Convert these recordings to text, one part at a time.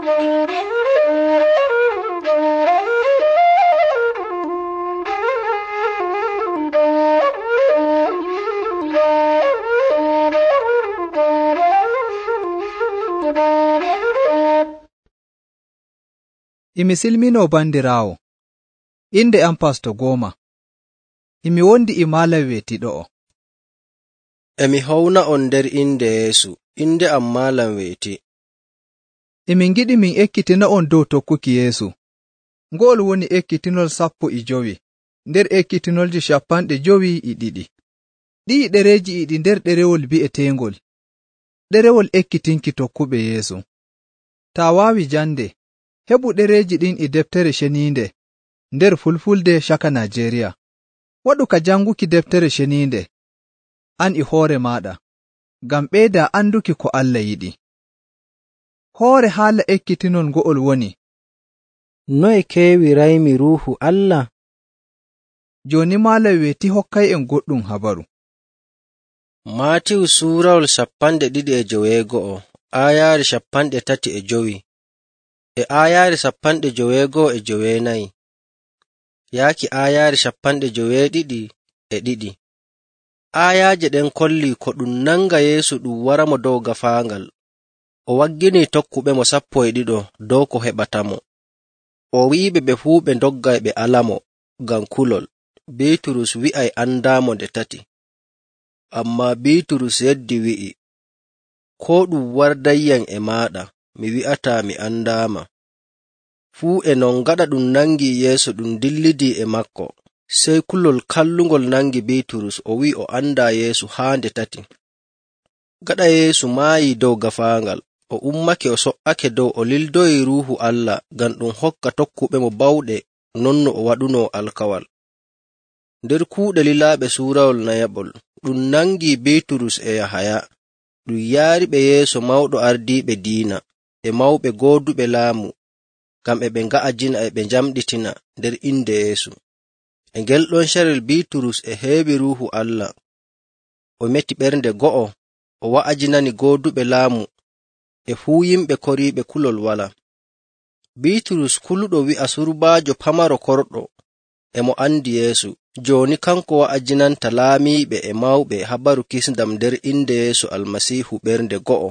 Imi silminoo bandiraawo, inde am Pasto Gooma. Imi wondi e Maalam weetiɗo'o. Emi howna on nder inde Yeesu, inde am Maalam weeti. Emin ngiɗi min ekkitina on dow tokkuki Yeesu. Ngo'ol woni ekkitinol 15 nder ekkitinolji 52. Ɗi'i ɗereeji e ɗi nder ɗerewol bi'eteengol ɗerewol ekkitinki tokkuɓe Yeesu. Taa waawi jande, heɓu ɗereeji ɗin e deftere ceniinde nder Fulfulde caka Najeriya. Waɗu ka janguki deftere ceniinde an e hoore maaɗa, ngam ɓeyda anduki ko Allah yiɗi. Hoore haala ekkitinol ngo'ol woni: noye keewiraymi Ruuhu Allah? Jooni Maalam weeti hokkay'en goɗɗum habaru. Maatiyu suurawol 25 aayaare 35 e aayaare 54 yaaki aayaare 52. Aayaaje ɗen kolli ko ɗum nanga Yeesu ɗum waramo dow gafaangal. O wagginii tokkuɓemo 12 dow ko heɓatamo. O wi'iɓe ɓe fuu ɓe ndoggay ɓe alamo ngam kulol. Biiturus wi'ay andaamo nde 3. Ammaa Biiturus yeddi wi'i, koo ɗum wardayyam e maaɗa, mi wi'ataa mi andaama. Fuu e non gaɗa ɗum nangi Yeesu ɗum dillidii e makko, sey kulol kallungol nangi Biiturus o wi'i o andaa Yeesu haa nde 3. Gaɗa Yeesu maayii dow gafaangal, o ummake o so''ake dow o lildoyi Ruuhu Allah ngam ɗum hokka tokkuɓemo bawɗe non no o waɗunoo alkawal. Nder kuuɗe lilaaɓe suurawol nayaɓol, ɗum nangi Biiturus e Yahaya, ɗum yaariɓe yeeso mawɗo ardiiɓe diina e mawɓe gooduɓe laamu, ngam e ɓe nga'ajina e ɓe njamɗitina nder inde Yeesu. E ngel ɗon carel Biiturus e heewi Ruuhu Allah. O meti ɓernde go'o, o wa'ajinani gooduɓe laamu e fuu yimɓe koriiɓe kulol wala. Biiturus kuluɗo wi'a surbaajo pamaro korɗo e mo andi Yeesu, jooni kanko wa'ajinanta laamiiɓe e mawɓe habaru kisndam nder inde Yeesu Almasiihu ɓernde go'o.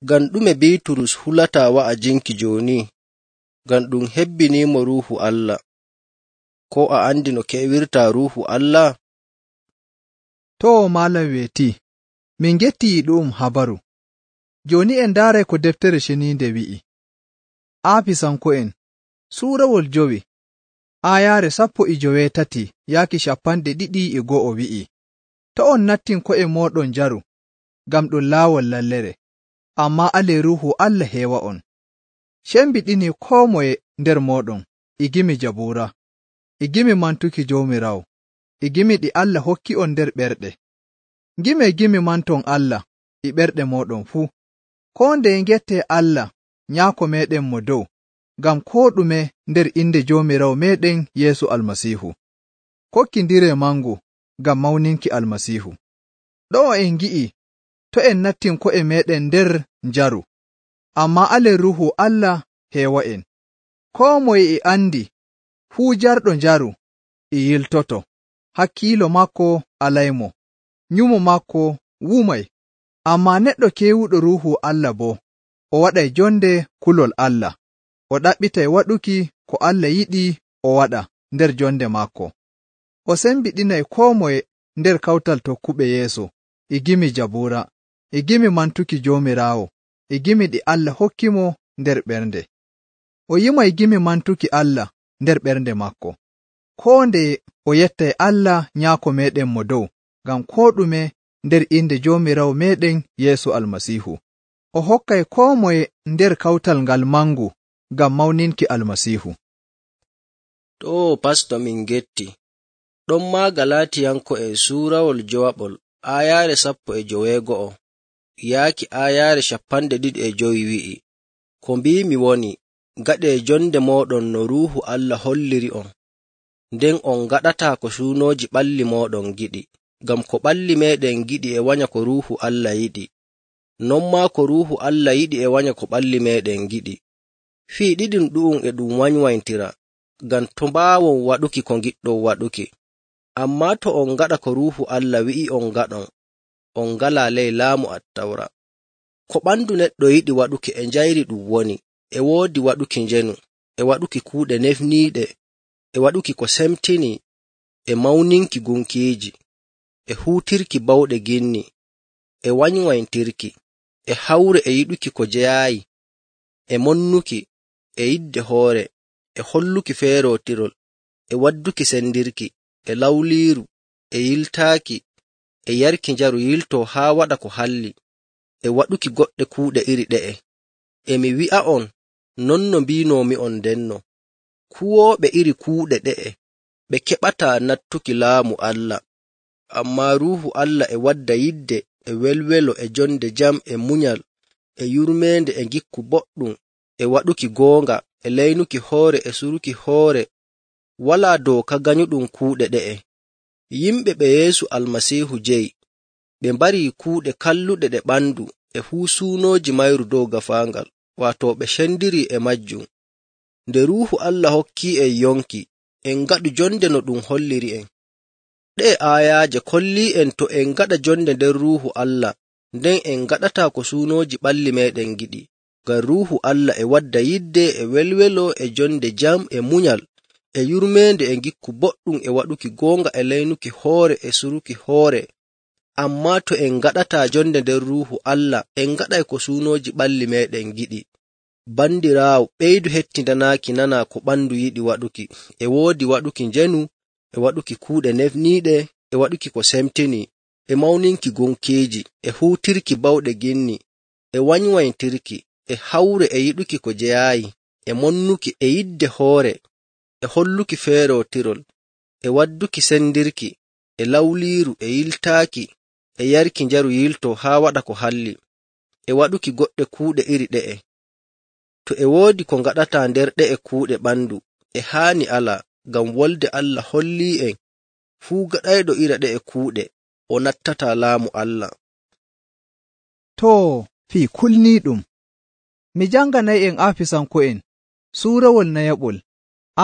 Ngam ɗume Biiturus hulataa wa'ajinki jooni? Ngam ɗum hebbiniimo Ruuhu Allah. Ko a andi no keewirtaa Ruuhu Allah? To Maalam weeti, min ngettii ɗum habaru. Jooni en ndaaray ko deftere ceniinde wi'i. Aafisanko'en suurawol 5 aayaare 13 yaaki 21 wi'i, to on nattin ko'e mooɗon njaru, ngam ɗum laawol lallere, ammaa alee Ruuhu Allah heewa on. Cembiɗinii koo moye nder mooɗon e gimi Jabuura, e gimi mantuki Joomiraawo, e gimi ɗi Allah hokki on nder ɓerɗe. Ngimee gimi manton Allah e ɓerɗe mooɗon fuu. Koo ndeye ngettee Allah Nyaako meeɗen mo dow, ngam koo ɗume nder inde Joomiraawo meeɗen Yeesu Almasiihu. Kokkindiree mangu ngam mawninki Almasiihu. Ɗo'o en ngi'i to en nattin ko'e meeɗen nder njaru, ammaa alee Ruuhu Allah heewa'en. Koo moye e andi fuu jarɗo njaru e yiltoto, hakkiilo maako alaymo, nyumo maako wumay. Ammaa neɗɗo keewuɗo Ruuhu Allah boo, o waɗay jonde kulol Allah, o ɗaɓɓitay waɗuki ko Allah yiɗi o waɗa nder jonde maako. O sembiɗinay koo moye nder kawtal tokkuɓe Yeesu e gimi Jabuura, e gimi mantuki Joomiraawo, e gimi ɗi Allah hokkimo nder ɓernde. O yimay gimi mantuki Allah nder ɓernde maako. Koo ndeye o yettay Allah Nyaako meeɗen mo dow, ngam koo ɗume nder inde Joomiraawo meeɗen Yeesu Almasiihu. O hokkay koo moye nder kawtal ngal mangu ngam mawninki Almasiihu. To pasto min getti. Ɗon maa Galatiyanko'en suurawol 5 aayaare 15 yaaki aayaare 25 wi'i, ko mbiimi woni, gaɗee jonde mooɗon no Ruuhu Allah holliri on, nden on gaɗataa ko suunooji ɓalli mooɗon giɗi, ngam ko ɓalli meeɗen giɗi e wanya ko Ruuhu Allah yiɗi. non maa ko Ruuhu Allah yiɗi e wanya ko ɓalli meeɗen giɗi. Fii ɗiɗum ɗu'um e ɗum wanywaintira, ngam to mbaawon waɗuki ko ngiɗɗon waɗuki. Ammaa to on ngaɗa ko Ruuhu Allah wi'i on ngaɗon, on ngalaa ley laamu Attawra. Ko ɓandu neɗɗo yiɗi waɗuki e njayri ɗum woni, e woodi waɗuki njenu, e waɗuki kuuɗe nefniiɗe, e waɗuki ko semtini, e mawninki gunkiiji, e huutirki bawɗe ginni, e wanywaintirki, e hawre e yiɗuki ko jeyaayi, e monnuki, e yidde hoore, e holluki feerootirol, e wadduki sendirki, e lawliiru, e yiltaaki, e yarki njaru yiltoo haa waɗa ko halli, e waɗuki goɗɗe kuuɗe iri ɗe'e. E mi wi'a'on non no mbiinoomi'on ndenno, kuwooɓe iri kuuɗe ɗe'e ɓe keɓataa nattuki laamu Allah. Ammaa Ruuhu Allah e wadda yidde, e welwelo, e jonde jam, e munyal, e yurmeende, e ngikku boɗɗum, e waɗuki goonga, e leynuki hoore, e suruki hoore. Walaa dooka ganyuɗum kuuɗe ɗe'e. Yimɓe ɓe Yeesu Almasiihu jeyi, ɓe mbarii kuuɗe kalluɗe ɗe ɓandu e fuu suunooji mayru dow gafaangal, waato ɓe cendiri e majjum. Nde Ruuhu Allah hokki'en yonki, en ngaɗu jonde no ɗum holliri'en. Ɗe'e aayaaje kolli'en to en ngaɗa jonde nder Ruuhu Allah, nden en ngaɗataa ko suunooji ɓalli meeɗen giɗi, ngam Ruuhu Allah e wadda yidde, e welwelo, e jonde jam, e munyal, e yurmeende, e ngikku boɗɗum, e waɗuki goonga, e leynuki hoore, e suruki hoore. Ammaa to en ngaɗataa jonde nder Ruuhu Allah, en ngaɗay ko suunooji ɓalli meeɗen giɗi. Bandiraawo, ɓeydu hettindanaaki nanaa ko ɓandu yiɗi waɗuki, e woodi waɗuki njenu, e waɗuki kuuɗe nefniiɗe, e waɗuki ko semtini, e mawninki gunkiiji, e huutirki bawɗe ginni, e wanywaintirki, e hawre, e yiɗuki ko jeyaayi, e monnuki, e yidde hoore, e holluki feerootirol, e wadduki sendirki, e lawliiru, e yiltaaki, e yarki njaru yiltoo haa waɗa ko halli, e waɗuki goɗɗe kuuɗe iri ɗe'e. To e woodi ko ngaɗataa nder ɗe'e kuuɗe ɓandu, e haani alaa, ngam wolde Allah holli'en fuu gaɗayɗo ira ɗe'e kuuɗe o nattataa laamu Allah. Too, fii kulniiɗum, mi janganay'en Aafisanko'en suurawol nayaɓol,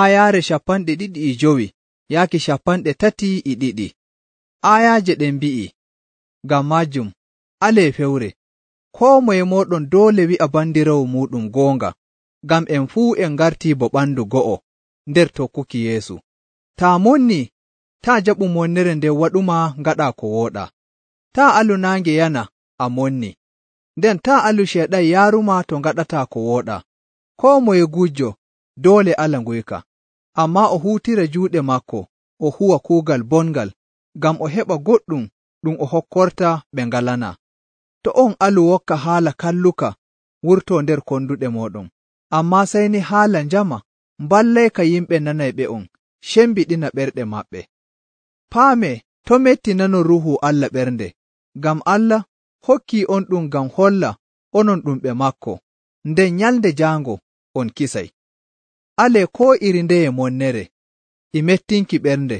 aayaare 25 yaaki 32. Aayaaje ɗen mbi'i, ngam maajum, alee fewre, koo moye mooɗon doole wi'a bandiraawo muuɗum goonga, ngam en fuu en ngartii bo ɓandu go'o nder tokkuki Yeesu. Taa monnii, taa jaɓu monnere nden waɗuma ngaɗaa ko wooɗaa. Taa alu naange yana a monni, nden taa alu Ceeɗan yaaruma to ngaɗataa ko wooɗaa. Koo moye gujjo doole ala nguyka, ammaa o huutira juuɗe maako o huwa kuugal bongal, ngam o heɓa goɗɗum ɗum o hokkorta ɓe ngalanaa. To on alu wokka haala kalluka wurtoo nder konduɗe mooɗon, ammaa sey ni haala njama mballayka yimɓe nanayɓe'on cembiɗina ɓerɗe maɓɓe. Paamee to metti nanon Ruuhu Allah ɓernde, ngam Allah hokkii on ɗum ngam holla onon ɗum ɓe maako, nden nyalnde jaango on kisay. Alee koo iri ndeye monnere, e mettinki ɓernde,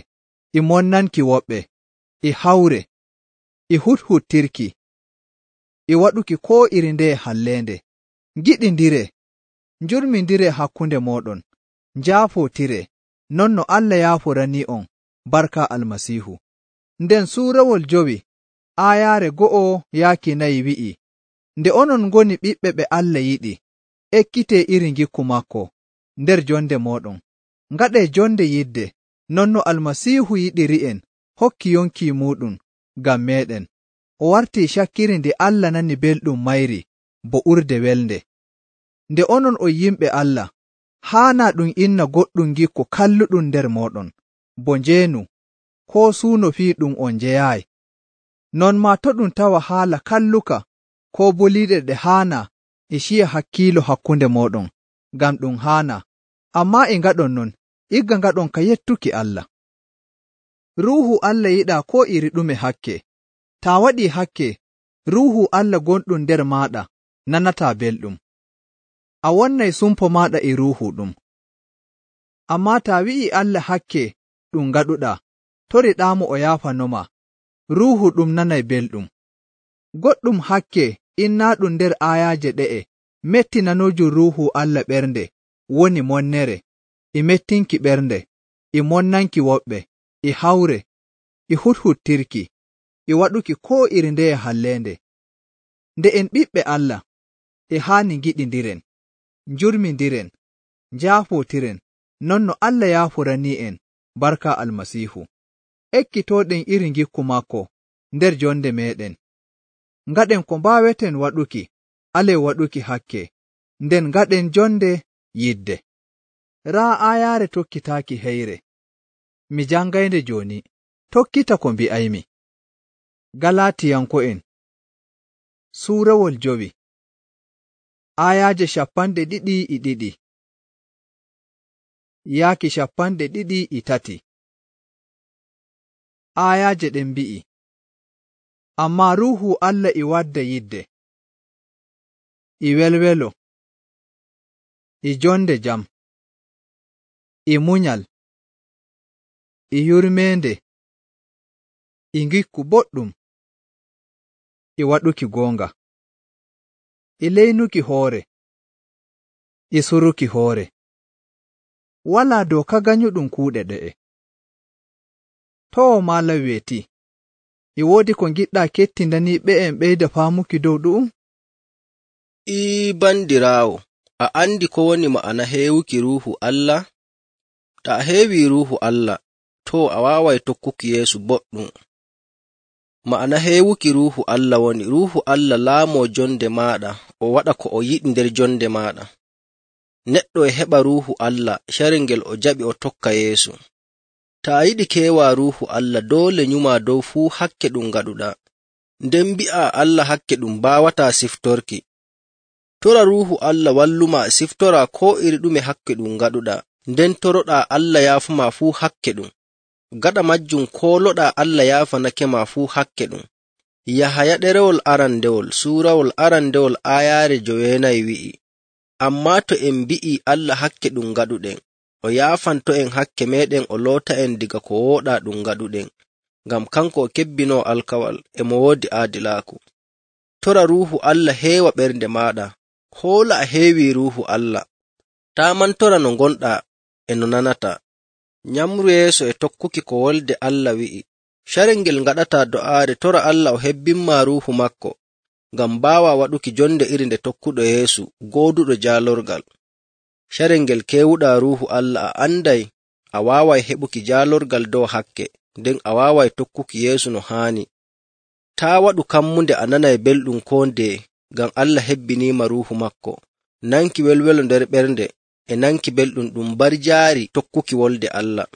e monnanki woɓɓe, e hawre, e huthuttirki, e waɗuki koo iri ndeye halleende. Ngiɗindire, njurmindire hakkunde mooɗon, njaafootire, non no Allah yaaforanii'on barka Almasiihu. Nden suurawol 5 aayaare 1 yaaki 4 wi'i, nde onon ngoni ɓiɓɓe ɓe Allah yiɗi, ekkitee iri ngikku maako nder jonde mooɗon, ngaɗee jonde yidde, non no Almasiihu yiɗiri'en hokki yonki muuɗum ngam meeɗen. O wartii cakkiri ndi Allah nani belɗum mayri bo urde welnde. Nde onon on yimɓe Allah, haanaa ɗum inna goɗɗum ngikku kalluɗum nder mooɗon, bo njeenu, koo suuno fii ɗum on njeyaayi. Non maa to ɗum tawa haala kalluka koo boliiɗe ɗe haanaa e ciya hakkiilo hakkunde mooɗon, ngam ɗum haanaa, ammaa e ngaɗon non, igga ngaɗon ka yettuki Allah. Ruuhu Allah yiɗaa koo iri ɗume hakke. Taa waɗii hakke, Ruuhu Allah gonɗum nder maaɗa nanataa belɗum. A wonnay sumpo maaɗa e ruuhu ɗum. Ammaa taa wi'ii Allah hakke ɗum ngaɗuɗaa, toriɗaamo o yaafanoma, ruuhu ɗum nanay belɗum. Goɗɗum hakke innaaɗum nder aayaaje ɗe'e mettinanojum Ruuhu Allah ɓernde woni monnere, e mettinki ɓernde, e monnanki woɓɓe, e hawre, e huthuttirki, e waɗuki koo iri ndeye halleende. Nde en ɓiɓɓe Allah, e haani ngiɗindiren, njurmindiren, njaafootiren, non no Allah yaafuranii'en barka Almasiihu. Ekkitooɗen iri ngikku maako nder jonde meeɗen. Ngaɗen ko mbaaweten waɗuki, alee waɗuki hakke, nden ngaɗen jonde yidde. Raa aayaare tokkitaaki heyre. Mi jangaynde jooni, tokkita ko mbi'aymi. Galatiyanko'en Suurawol 5 aayaaje 22 yaaki 23. Aayaaje ɗen mbi'i, ammaa Ruuhu Allah e wadda yidde, e welwelo, e jonde jam, e munyal, e yurmeende, e ngikku boɗɗum, e waɗuki goonga, e leynuki hoore, e suruki hoore. Walaa dooka ganyuɗum kuuɗe ɗe'e. Too malam weeti, e woodi ko ngiɗɗaa kettindanii ɓe'en ɓeyda faamuki dow ɗu'um? Bandiraawo, a andi ko woni ma'ana heewuki Ruuhu Allah? Ta a heewi Ruuhu Allah, too a waaway tokkuki Yeesu boɗɗum. Ma'ana heewuki Ruuhu Allah woni Ruuhu Allah laamoo jonde maaɗa, o waɗa ko o yiɗi nder jonde maaɗa. Neɗɗo e heɓa Ruuhu Allah carel ngel o jaɓi o tokka Yeesu. Ta a yiɗi keewa Ruuhu Allah doole nyuma dow fuu hakke ɗum ngaɗuɗaa, nden mbi'a Allah hakke ɗum baawataa siftorki. Tora Ruuhu Allah walluma siftora koo iri ɗume hakke ɗum ngaɗuɗaa, nden toroɗaa Allah yaafuma fuu hakke ɗum. Gaɗa majjum kooloɗaa Allah yaafanakema fuu hakke ɗum. Yahaya ɗerewol arandewol suurawol arandewol aayaare 9 wi'i, ammaa to en mbi'i Allah hakke ɗum ngaɗuɗen, o yaafanto'en hakke meɗen o loota'en diga ko wooɗaa ɗum ngaɗuɗen, ngam kanko o kebbinoo alkawal e mo woodi aadilaaku. Tora Ruuhu Allah heewa ɓernde maaɗa, hoola a heewi Ruuhu Allah. Taa mantora no ngonɗaa e no nanataa. Nyamru yeeso e tokkuki ko wolde Allah wi'i. Carel ngel ngaɗataa do'aare tora Allah o hebbinma Ruuhu makko, ngam mbaawa waɗuki jonde iri nde tokkuɗo Yeesu gooduɗo jaalorgal. Carel ngel keewuɗaa Ruuhu Allah a anday a waaway heɓuki jaalorgal dow hakke, nden a waaway tokkuki Yeesu no haani. Taa waɗu kammunde a nanay belɗum koo ndeye, ngam Allah hebbiniima Ruuhu makko, nanki welwelo nder ɓernde e nanki belɗum ɗum barjaari tokkuki wolde Allah.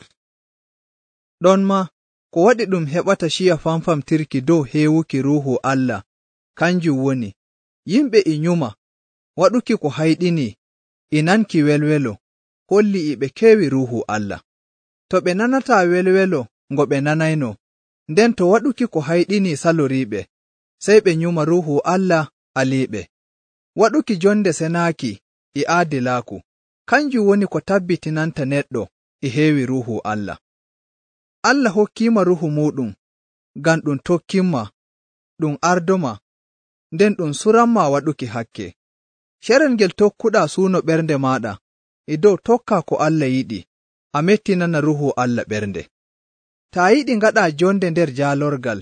Ɗon ma, ko waɗi ɗum heɓata ciya famfamtirki dow heewuki Ruuhu Allah, kanjum woni, yimɓe e nyuma, waɗuki ko hayɗini, e nanki welwelo, holli e ɓe keewi Ruuhu Allah. To ɓe nanataa welwelo ngo ɓe nanayno, nden to waɗuki ko hayɗini saloriiɓe, sey ɓe nyuma Ruuhu Allah aliiɓe. Waɗuki jonde senaaki e aadilaaku, kanjum woni ko tabbitinanta neɗɗo e heewi Ruuhu Allah. Allah hokkiima Ruuhu muuɗum, ngam ɗum tokkinma, ɗum ardoma, nden ɗum suranma waɗuki hakke. Carel ngel tokkuɗaa suuno ɓernde maaɗa, e dow tokkaa ko Allah yiɗi, a mettinana Ruuhu Allah ɓernde. Taa yiɗi ngaɗaa jonde nder jaalorgal,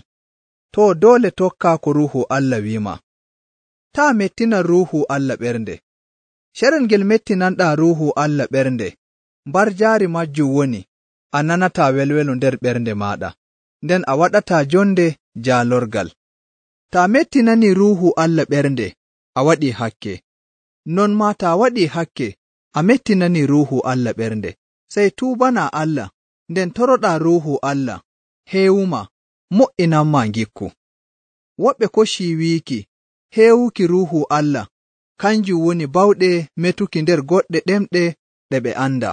too doole tokkaa ko Ruuhu Allah wi'ima. Taa mettina Ruuhu Allah ɓernde. Carel ngel mettinanɗaa Ruuhu Allah ɓernde, barjaari majjum woni, a nanataa welwelo nder ɓernde maaɗa, nden a waɗataa jonde jaalorgal. Taa mettinani Ruuhu Allah ɓernde, a waɗii hakke. Non maa taa waɗii hakke, a mettinani Ruuhu Allah ɓernde, sey tuubanaa Allah, nden toroɗaa Ruuhu Allah, heewuma, mo'inanma ngikku. Woɓɓe koccii wiiki, heewuki Ruuhu Allah, kanjum woni bawɗe metuki nder goɗɗe ɗemɗe ɗe ɓe anda,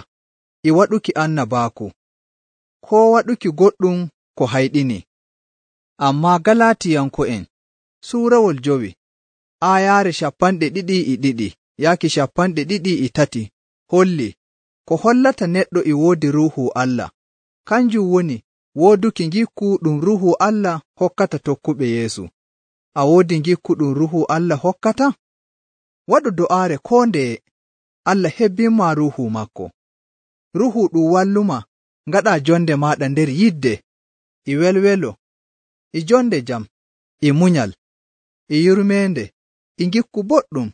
e waɗuki annabaaku, koo waɗuki goɗɗum ko hayɗini. Ammaa Galatiyanko'en suurawol 5 aayaare 22 yaaki 23 holli ko hollata neɗɗo e woodi Ruuhu Allah, kanjum woni wooduki ngikku ɗum Ruuhu Allah hokkata tokkuɓe Yeesu. a woodi ngikku ɗum Ruuhu Allah hokkata? Waɗu do'aare koo ndeye, Allah hebbinma Ruuhu maako. Ruuhu ɗum walluma ngaɗaa jonde maaɗa nder yidde, e welwelo, e jonde jam, e munyal, e yurmeende, e ngikku boɗɗum,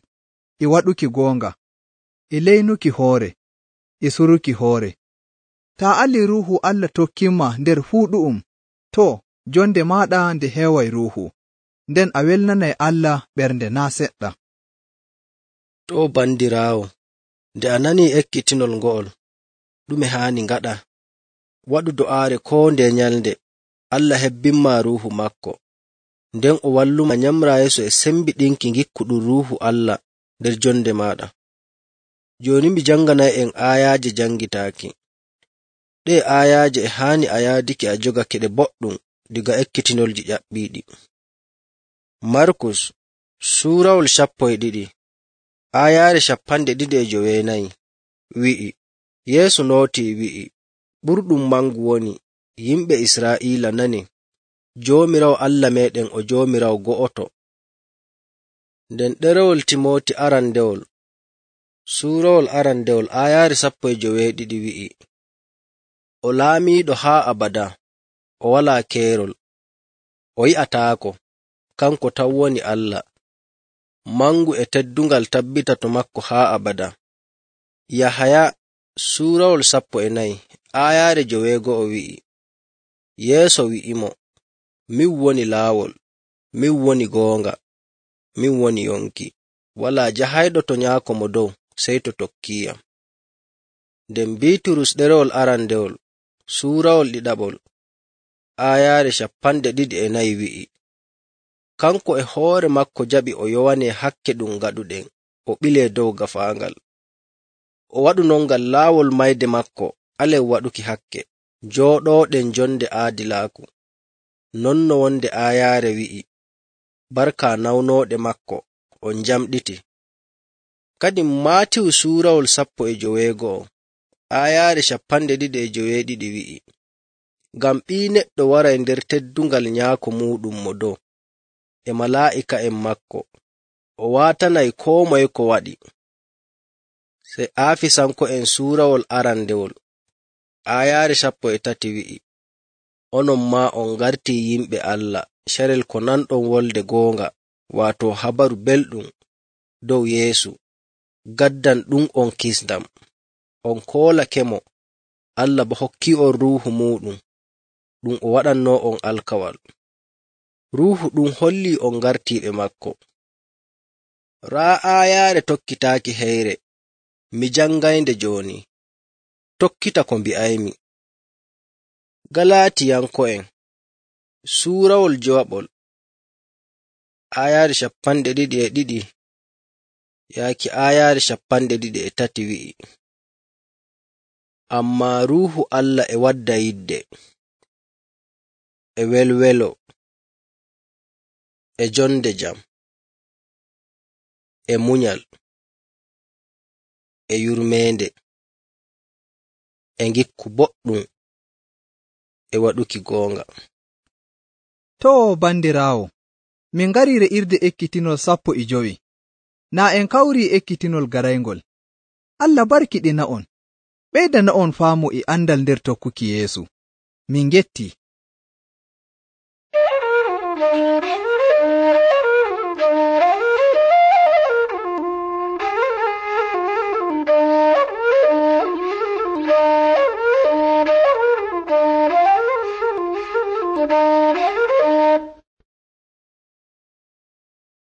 e waɗuki goonga, e leynuki hoore, e suruki hoore. Taa alii Ruuhu Allah tokkinma nder fuu ɗu'um, too, jonde maaɗa nde heeway Ruuhu, nden a welnanay Allah ɓernde naa seɗɗa. To bandiraawo, nde a nanii ekkitinol ngo'ol, ɗume haani ngaɗa? Waɗu do'aare koo nde nyalnde, Allah hebbinma Ruuhu maako, nden o walluma nyamra yeeso e sembiɗinki ngikku ɗum Ruuhu Allah nder jonde maaɗa. Jooni mi janganay'en aayaaje jangitaaki. Ɗee aayaaje e haani a yaadiki a jogake ɗe boɗɗum diga ekkitinolji ƴaɓɓiiɗi. Markus suurawol 12 aayaare 24 wi'i, Yeesu nootii wi'i, ɓurɗum mangu woni, yimɓe Israa'iila nani, Joomiraawo Allah meeɗen o Joomiraawo go'oto. Nden ɗerewol Timooti arandewol suurawol arandewol aayaare 12 wi'i, o laamiiɗo haa abada, o walaa keerol, o yi'ataako, kanko tan woni Allah, mangu e teddungal tabbita to makko haa abada. Yahaya suurawol 14 aayaare 9 wi'i, Yeeso wi'imo, min woni laawol, min woni goonga, min woni yonki, walaa jahayɗo to nyaako mo dow sey to tokkiiyam. Nden Biiturus ɗerewol arandewol suurawol 2 aayaare 24 wi'i, kanko e hoore makko jaɓi o yowanee hakke ɗum gaɗuɗen, o ɓilee dow gafaangal. O waɗu non ngam laawol mayde makko alen waɗuki hakke, jooɗooɗen jonde aadilaaku. Non no wonde aayaare wi'i, barka nawnooɗe makko on njamɗiti. Kadi Maatiyu suurawol 19 aayaare 29 wi'i, ngam Ɓii Neɗɗo waray nder teddungal nyaako muuɗum mo dow, e malaa'ika'en makko, o waatanay koo moye ko waɗi. Sey Aafisanko'en suurawol arandewol aayaare 13 wi'i, onon maa on ngartii yimɓe Allah carel ko nanɗon wolde goonga, waato habaru belɗum dow Yeesu, gaddan ɗum on kisndam. On koolakemo, Allah bo hokki on Ruuhu muuɗum, ɗum o waɗannoo on alkawal. Ruuhu ɗum hollii on ngartiiɓe makko. Raa aayaare tokkitaaki heyre, mi jangaynde jooni, tokkita ko mbi'aymi. Galaatiyanko'en suurawol 2 aayaare 22 yaaki aayaare 23 wi'i, ammaa Ruuhu Allah e wadda yidde, e welwelo, e jonde jam, e munyal, e yurmeende, e ngikku boɗɗum, e waɗuki goonga. Too bandiraawo, min ngarii re'irde ekkitinol 15, naa en kawrii ekkitinol garayngol. Allah barkiɗina on, ɓeydana on faamu e andal nder tokkuki Yeesu. Min ngettii.